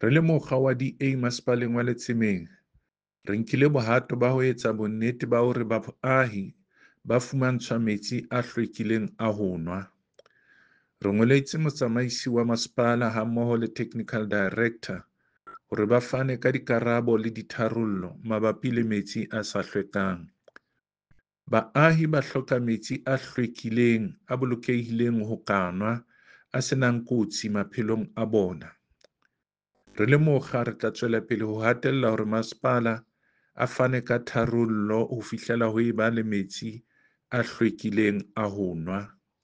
Re le mokga wa DA Masepaleng wa Letsemeng, re nkile bohato ba ho etsa bonnete ba hore baahi ba fumantshwa metsi a hlwekileng a ho nwa. Re ngoletse motsamaisi wa masepala hammoho le technical director hore ba fane ka dikarabo le ditharollo mabapi le metsi a sa hlwekang. Baahi ba hloka metsi a hlwekileng, a bolokehileng ho ka nwa, a senang kotsi maphelong a bona. Re le mokga re tla tswela pele ho hatella hore masepala a fane ka tharollo ho fihlela ho eba le metsi a hlwekileng a ho nwa.